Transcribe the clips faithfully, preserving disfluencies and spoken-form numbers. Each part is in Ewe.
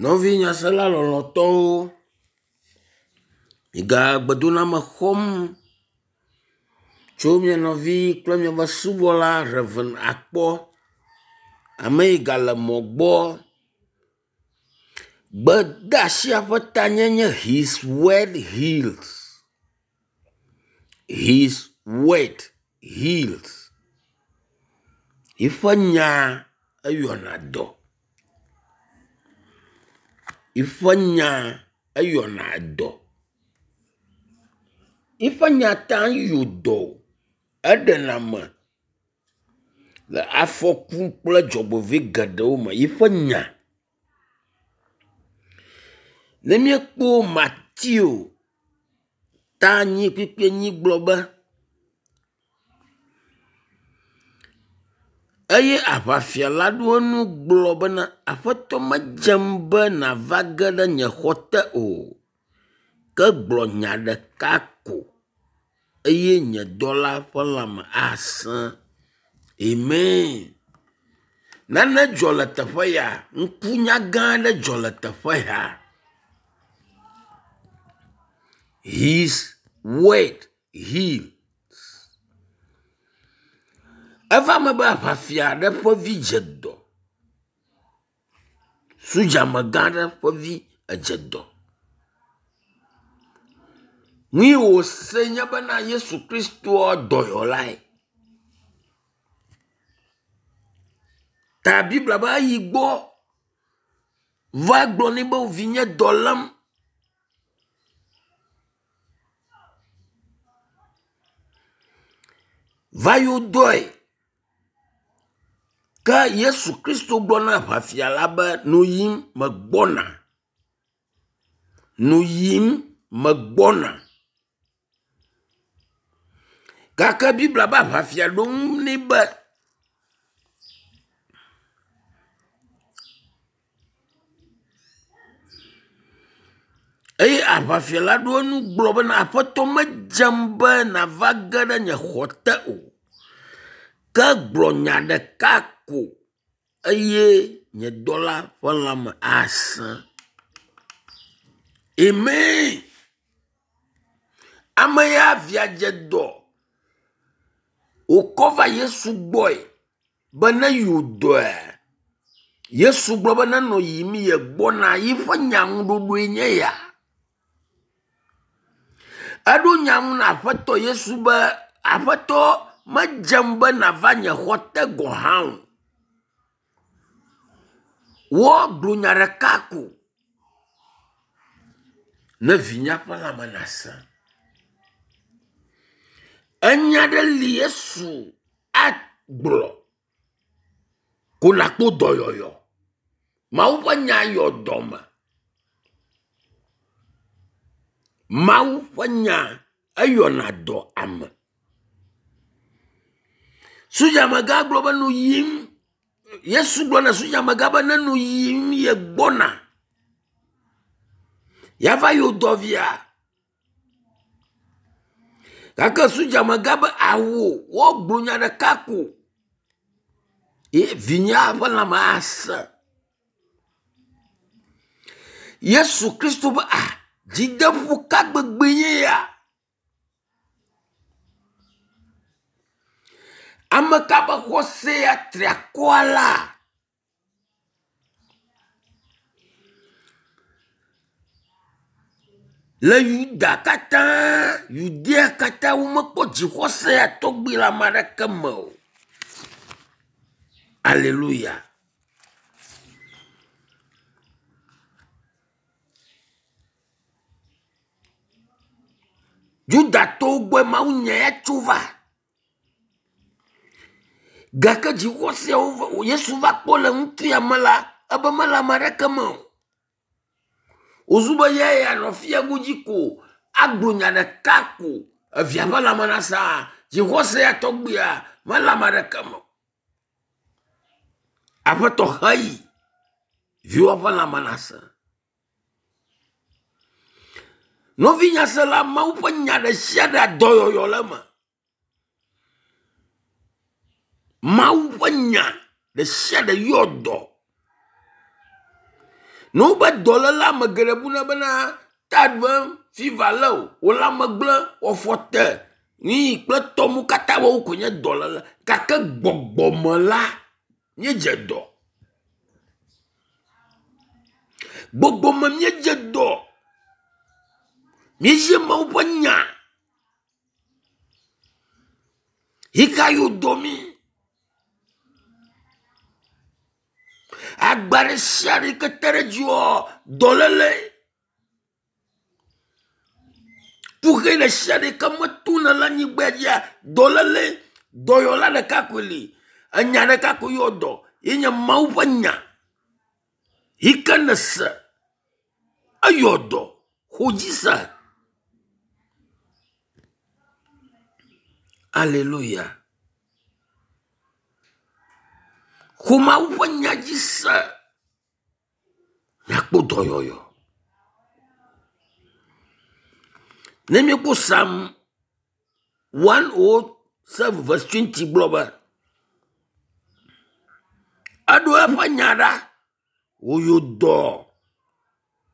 Nɔvi nyasela lɔlɔ̃tɔwo, miga gbedoname xɔm tso mia nɔvi kple miaƒe subɔla Rev. Akpɔ, ame yi gale mɔ gbɔ. Gbedeasia ƒe tanye nye “His word heals, His word heals” yiƒe nya eyɔna dɔ, yiƒe nya eyɔna dɔ, yiƒe nya ta yɔ dɔ, eɖena ame le afɔku kple dzɔgbevɔ̃e geɖewo me, yiƒe nya. Ne míekpɔ Mateo ta enyi kpukpui enyi gblɔ be, eye aʋafia la ɖo eŋu gblɔ bena, Aƒetɔ medzem be nàva ge ɖe nye xɔ te o, ke gblɔ nya ɖeka ko eye nye dɔla ƒe lãme asẽ. Amen. Nane dzɔ le teƒe ya, ŋkunya gã aɖe dzɔ le teƒe ya. His word heals. Eva me be aʋafia aɖe ƒe vi dze dɔ. Sodzamegã aɖe ƒe vi edze dɔ. Nu yi wòse nye bena Yesu Kristoa dɔyɔlae. Ta Biblia be eyi gbɔ va gblɔ nɛ be vinye dɔ lém. Va yɔ dɔe. Ke Yesu Kristo gblɔ na aʋafia la be nɔ yim megbɔna. Nɔ yim megbɔna. Gake Biblia be aʋafia ɖo ŋu nɛ be eye aʋafia la ɖo eŋu gblɔ bena aƒetɔ medzem be nàva ge ɖe nye xɔ te o, ke gblɔ nya ɖeka ko eye nye dɔla ƒe lãme asẽ. Amen. Ame ya via dze dɔ wòkɔ va Yesu gbɔe be ne yewo dɔe. Yesu gblɔ be nenɔ yiyim ye gbɔna yiƒe nyaŋuɖoɖoe nye ya. Eɖo nya ŋu na Aƒetɔ Yesu be, Aƒetɔ, medzem be nàva nye xɔ te gɔ̃ hã o. Woagblɔ nya ɖeka ko ne vinyea ƒe lãme nasẽ. Enya ɖe li Yesu agblɔ ko nàkpɔ dɔyɔyɔ. Mawu ƒe nya yɔ dɔme. Mawu ƒe nya eyɔna dɔ ame. Sodzamegã gblɔ be nɔ yiyim. Yesu gblɔ na sodzamegã be nenɔ yiyim ye gbɔna. Yeava yɔ dɔ via. Gake sodzamegã be awo woagblɔ nya ɖeka ko ye vinyea ƒe lãme asẽ. Yesu Kristo be ah dzideƒo ka gbegbe nye ya? Ame ka ƒe xɔse ya tri akɔ alea? Le Yuda katã, Yudea katã womekpɔ dzixɔse ya tɔgbi le ame aɖeke me o. Aleluya. Yudatɔwo gbɔe mawunya ya tso va. Gake dzixɔseawo Yesu va kpɔ le ŋutsu ya me la, ebe mele ame aɖeke me o. Wòzu be ya yeanɔ fiago dzi ko agblɔ nya ɖeka ko evia ƒe lãme nasa. Dzixɔse ya tɔgbia mele ame aɖeke me o. Aƒetɔ heyi viwòa ƒe lãme nasẽ. Nɔvi nyasela, Mawu ƒe nya ɖe sia ɖe dɔyɔyɔ le eme. Mawu ƒe nya ɖe sia ɖe yɔ dɔ. Ne wobe dɔléle ame geɖe buna bena taɖuem, fiva lé wò, wò lãme gblẽ, wò afɔ te, nuyi kple tɔmu katã woawo koe nye dɔléle gake gbɔgbɔme la, míedze dɔ. Gbɔgbɔme míedze dɔ. Míedze Mawu ƒe nya yi ka yio dɔ mí. Agba ɖe sia ɖe yi ke te ɖe dziwò dɔléle. Kuxi ɖe sia ɖe yi ke metona le anyigba dzia dɔléle. Dɔyɔla ɖeka koe li. Enya ɖeka koe yɔ dɔ ye nye Mawu ƒe nya yi ke nèse eyɔ dɔ xɔ dzi se. Aleluya. Xɔ Mawu ƒe nya dzi se nàkpɔ dɔyɔyɔ. Ne míekpɔ Psalm one o seven verse twenty gblɔ be eɖo eƒe nya ɖa wòyɔ dɔ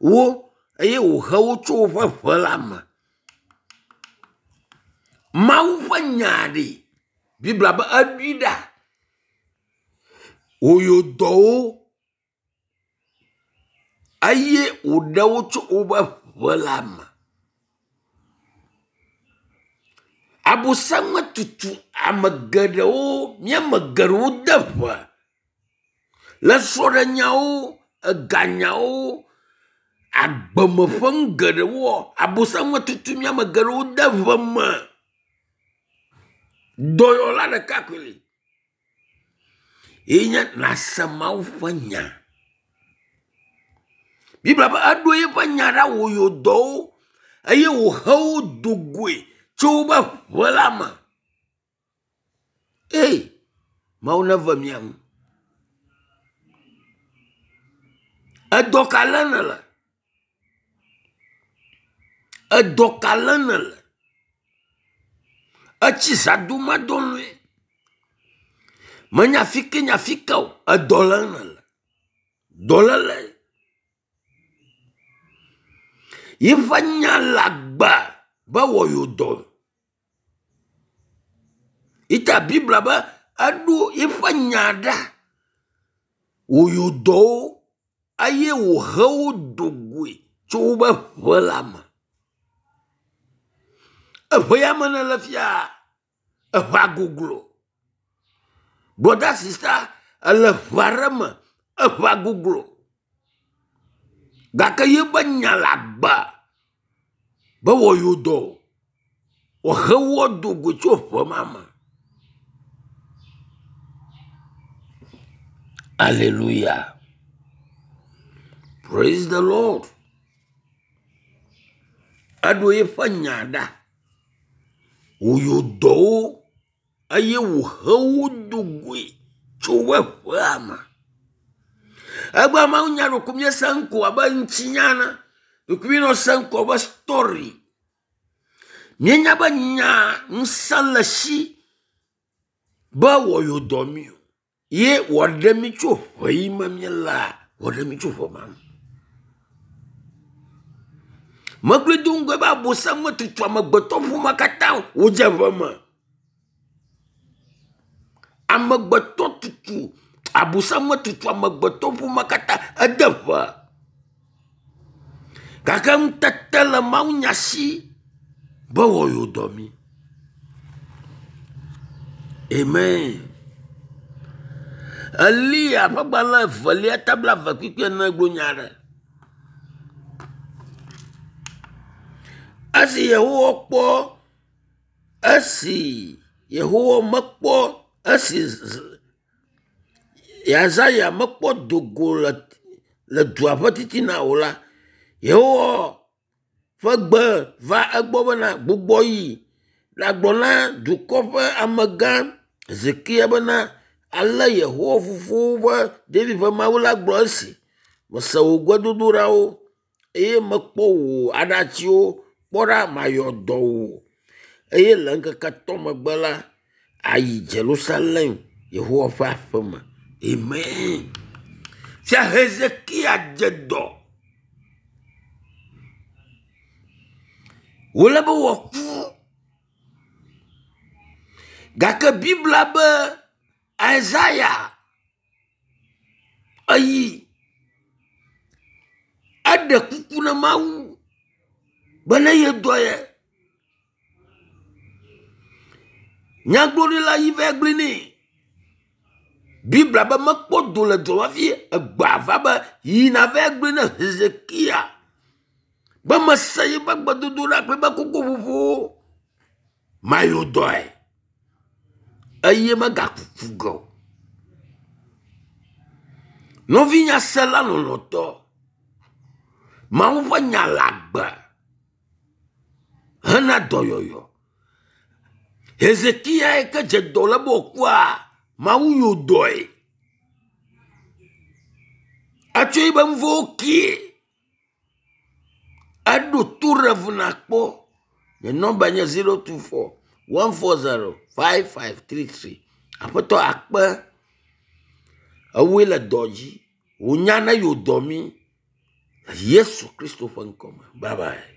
wo eye wòhe wo tso woƒe ʋe la me. Mawu ƒe nya ɖi Biblia be eɖoe ɖa wòyɔ dɔ wo eye wòɖe wo tso woƒe ʋe la me. Abosam tutu ame geɖewo, míame geɖewo de ʋe le srɔ̃ɖenyawo, eganyawo, agbeme ƒe nu geɖewoa, abosam tutu míame geɖewo de ʋe me. Dɔyɔla ɖeka koe li ye nye nàse Mawu ƒe nya. Biblia be eɖo eƒe nya ɖa wòyɔ dɔ wo eye wòhe wo do goe tso woƒe ʋe la me. Ei, Mawu neve mía ŋu. Edɔ ka lém nèle? Edɔ ka lém nèle? Etsi zãdomadɔlɔ̃e. Menya fi ke nya fi ke o, edɔ lém nèle. Dɔléle. Yiƒe nya le agbe be wòayɔ dɔ. Yita Biblia be eɖo eƒe nya ɖa wòyɔ dɔ wo eye wòhe wo do goe tso woƒe ʋe la me. Eʋe ya me nèle fia, eʋea goglo. Brɔda sista ele ʋe aɖe me, eʋea goglo gake yeƒe nya le agbe be wòayɔ dɔ wòahe wo ado goe tso ʋe ma me. Aleluya. Praise the Lord. Eɖo eƒe nya ɖa wòyɔ dɔ wo eye wòhe wo do goe tso woƒe ʋea me. Egbea Mawu nya ɖeko míese ŋkɔ abe ŋutinya ene, ɖeko míenɔ se ŋkɔ abe story. Míenya be nya ŋusẽ le esi be wòayɔ dɔ mí o ye wòaɖe mí tso ʋe yi me míelea, wòaɖe mí tso ʋe ma me. Megblɔe do ŋgɔe be abosam metutu amegbetɔ ƒomea katã wòdze ʋe me. Amegbetɔ tutu, abosam metutu amegbetɔ ƒomea katã ede ʋe. Gake ŋutete le Mawu nya si be wòayɔ dɔ mí. Amen. Eliya ƒe agbalẽ evelia ta blaeve kpukpui ene gblɔ nya aɖe. Esi Yehowa kpɔ esi Yehowa mekpɔ esi Yesaya mekpɔ do go le le dua ƒe titina o la, Yehowa ƒe gbe va egbɔ bena gbugbɔ yi ɖagblɔ na dukɔ ƒe amegã Hezekia bena ale Yehowa fofowo ƒe David ƒe Mawu la gblɔ esi. Mese wò gbedodoɖawo eye mekpɔ wò aɖatsiwo. Kpɔ ɖa mayɔ dɔ wò eye le ŋkeke etɔ̃ megbe la ayi Yerusalem Yehowa ƒe aƒeme. Amen. Fia Hezekia dze dɔ. Wòle be wòaku. Gake Biblia be Isaya eyi eɖe kuku na Mawu be ne ye dɔ ye. Nyagblɔɖila yi va gblɔe nɛ. Biblia be mekpɔ do le dɔ hafi egbea va be yina va gblɔe ne Hezekia be mese yiƒe gbedodoɖa kple eƒe kokoƒoƒowo. Mayo dɔe eye megakuku ge o. Nɔvinyasela lɔlɔ̃tɔ, Mawu ƒe nya le agbe hena dɔyɔyɔ. Hezekia yi ke dze dɔ le be wòkua, Mawu yɔ dɔe. Etsɔ yiƒe nu vɔ̃wo kee. Eɖo to ɖe ŋu nakpɔ. Nye nɔmba nye zero two four one four zero five five three three. Aƒetɔ akpe ewoe le dɔ dzi. Wònya ne yewo dɔ mí. Yesu Kristo ƒe ŋkɔ me. Bye bye.